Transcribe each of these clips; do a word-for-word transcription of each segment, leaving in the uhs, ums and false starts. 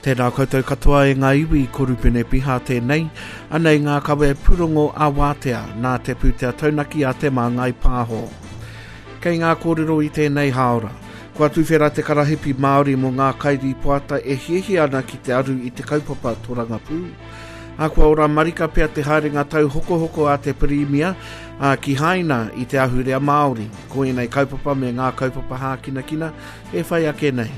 Tēnā koutou katoa e ngā iwi, ko Rupene Piha tēnei. Anei ngā kawe pūrongo a Wātea, nā te pūtea taunaki a Te Māngai Pāho. Kei ngā kōrero i tēnei hāora. Kua tuwhera te karahipi Māori mō ngā kairīpoata e hiahia ana ki te aru i te kaupapa torangapū. A kua ora marika pea te haerenga tau hokohoko a te Pirimia a ki Haina i te ahurea Māori. Ko ēnei kaupapa me ngā kaupapa hākinakina e whai ake nei.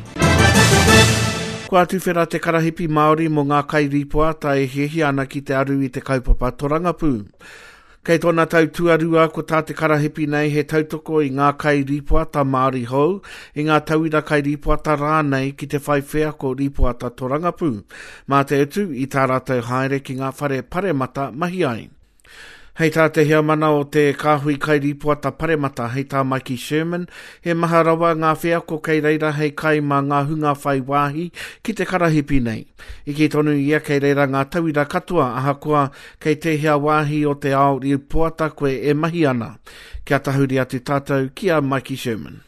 Kua tuwhera te karahipi Māori mō ngā kairīpoata e hiahia ana ki te aru i te kaupapa torangapū. Kei tōna tau tuarua ko tā te karahipi nei he tautoko i ngā kairīpoata Māori hou, i ngā tauira kairīpoata rānei ki te whai wheako rīpoata torangapū. Mā te utu i tā rātou haere ki ngā whare paremata mahi ai. Hei tā te heamana o te kāhui kairīpoata paremata, hei tā Mikey Sherman, he maha rawa ngā wheako kei reira hei kai mā ngā hunga whai wāhi ki te karahipi nei. I kī tonu ia kei reira ngā tauira katoa ahakoa kei tēhea wāhi o te ao rīpoata koe e mahi ana. Kia tahuri atu tātou ki a Mikey Sherman.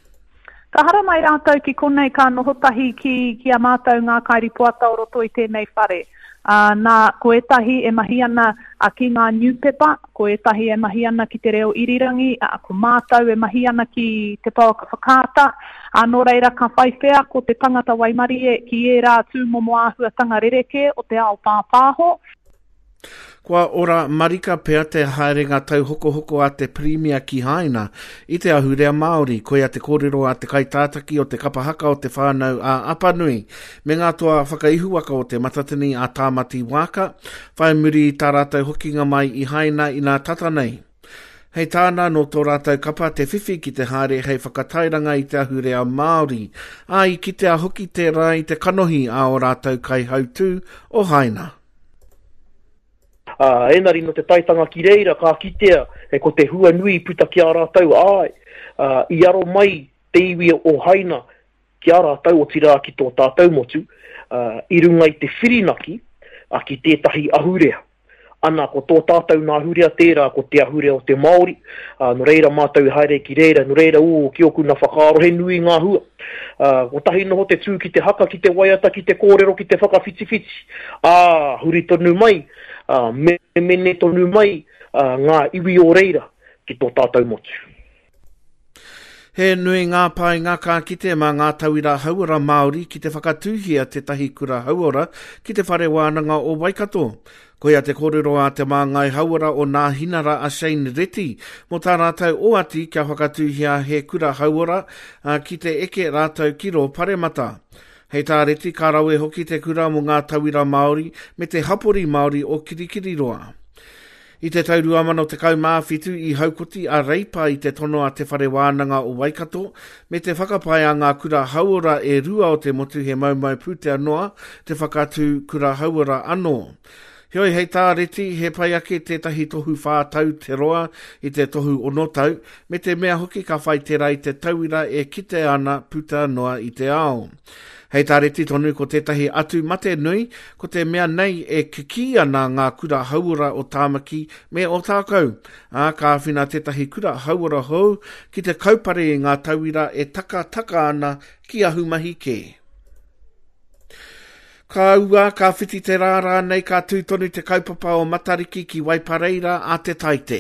Ka haramai rātou ki konei ka noho tahi ki, ki a mātou ngā kairipoata o roto i tēnei whare. Uh, nā, ko ētahi e mahi ana uh, ki ngā niupepa, ko ētahi e mahi ana ki te reo irirangi, uh, ko mātou e mahi ana ki te pouaka whakaata, uh, nō reira ka whai wheako te tangata waimarie ki ērā tūmomo āhuatanga rerekē o te ao pāpāho. Kua ora marika pea te haerenga tauhokohoko a te Pirimia ki Haina i te ahurea Māori, koia te kōrero a te kaitātaki o te kapa haka o te whānau a Apanui, me ngā toa whakaihuwaka o te Matatini a Tāmati Wāka, whai muri i tā rātou hokinga mai i Haina inā tata nei. Hei tāna nō tō rātou kapa te whiwhi ki te haere hei whakatairanga i te ahurea Māori, ā i kitea hoki tērā i te kanohi a o rātou kaihautū o Haina. Uh, enari no te taitanga ki reira ka kitea e ko te hua nui puta ki a rātou ai, uh, i aro mai te iwi o Haina ki a rātou otirā ki tō tātou motu, uh, i runga i te whirinaki uh, ki tētahi ahurea. Ana, ko tō tātou nā ahurea tērā, ko te ahurea o te Māori, uh, no reira mātou i haere ki reira, no reira ū, ki oku nā whakaaro he nui ngā hua. Uh, ko tahi noho te tū ki te haka, ki te waiata, ki te kōrero, ki te whakawhitiwhiti. Ā, huri tonu mai, uh, me mene tonu mai uh, ngā iwi o reira ki tō tātou motu. He nui ngā painga ka kite mā ngā tauira hauora Māori ki te whakatūhia tētahi kura hauora ki te whare wānanga o Waikato. Koia te kōrero a te māngai hauora o Nāhinara a Shane Reti mō tā rātou oati kia whakatūhia he kura hauora ki te eke rātou ki rō paremata. Hei tā Reti ka rawe hoki te kura mō ngā tauira Māori me te hapori Māori o Kirikiriroa. I te tau ruamano tekau mā whitu i haukoti a Reipa i te tono a te whare wānanga o Waikato me te whakapae a ngā kura hauora e rua o te motu he maumau pūtea noa te whakatū kura hauora anō. Heoi hei tā Reti, he pai ake tētahi tohu whā tau te roa i te tohu ono tau, me te mea hoki ka whai tērā i te tauira e kite ana puta noa i te ao. Hei tā Reti tonu ko tētahi atu mate nui, ko te mea nei e kikī ana ngā kura hauora o Tāmaki me Ōtākou. Ā, ka āwhina tētahi kura hauora hou ki te kaupare i ngā tauira e takataka ana ki ahumahi kē. Ka ua, ka whiti te rā rānei, ka tū tonu te kaupapa o Matariki ki Waipareira a te Taite.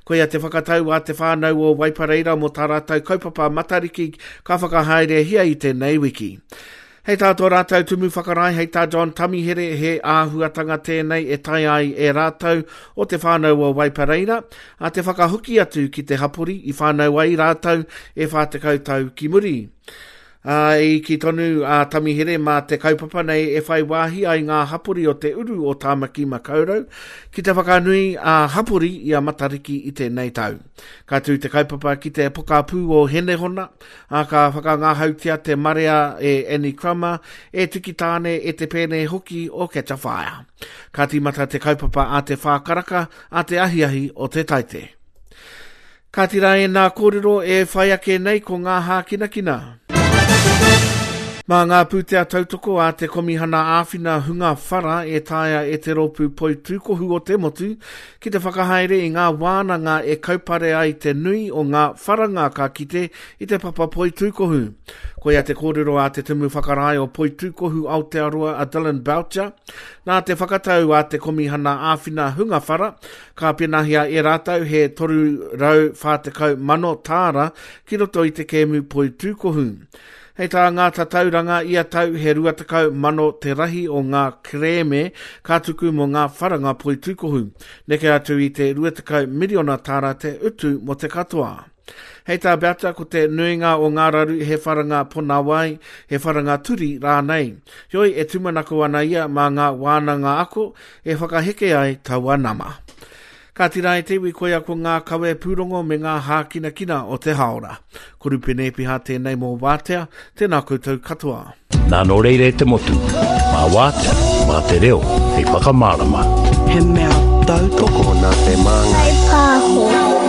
Koia te whakatau a te whānau o Waipareira mō tā rātou kaupapa Matariki ka whakahaerehia i tēnei wiki. Hei tā tō rātou tumu whakarae, hei tā John Tamihere, he āhuatanga tēnei e tae ai e rātou o te whānau o Waipareira, a te whakahoki atu ki te hapori i whānau ai rātou e whā tekau tau ki muri. Uh, i ki tonu a Tamihere mā te kaupapa nei e whai wāhi ai ngā hapori o te uru o Tāmaki Makaurau ki te whakanui a hapori i a Matariki i tēnei tau. Ka tū te kaupapa ki te pokapū o Henehona, a ka whakangahautia te marea e Annie Crummer, e Tiki Tāne, e te pēne hoki o Catch a Fire. Ka tīmata te kaupapa a te whākaraka, a te ahiahi o te Taite. Ka tira e nā kōrero e whai ake nei ko ngā hākinakina. Mā ngā pūtea tautoko a te Komihana Āwhina Hunga Whara e taea e te rōpū poitūkohu o te motu ki te whakahaere i ngā wānanga e kaupare ai te nui o ngā wharanga ka kite i te papa poitūkohu. Koia te kōrero a te Tumu Whakarae o Poitūkohu Aotearoa a Dylan Boucher. Nā te whakatau a te Komihana Āwhina Hunga Whara, ka penahia e rātou he toru rau whā tekau mano tāra ki roto i te kēmu poitūkohu. Hei tā ngā tatauranga ia tau he rua tekau mano te rahi o ngā kerēme ka tuku mō ngā wharanga poitūkohu. Neke atu i te rua tekau miriona tāra te utu mō te katoa. Hei tā Boucher ko te nuinga o ngā raru he wharanga ponawai, he wharanga turi rānei. Heoi e tūmanako ana ia mā ngā wānanga ako e whakaheke ai taua nama. Ka tira e te iwi koia ko ngā kawe pūrongo me ngā hākinakina o te haora. Ko Rupene Epiha tēnei mō Wātea, tēnā koutou katoa. Nā nō reira e te motu, mā Wātea, mā te reo, hei whakamārama. He mea tautoko nā te māngai. Pāho.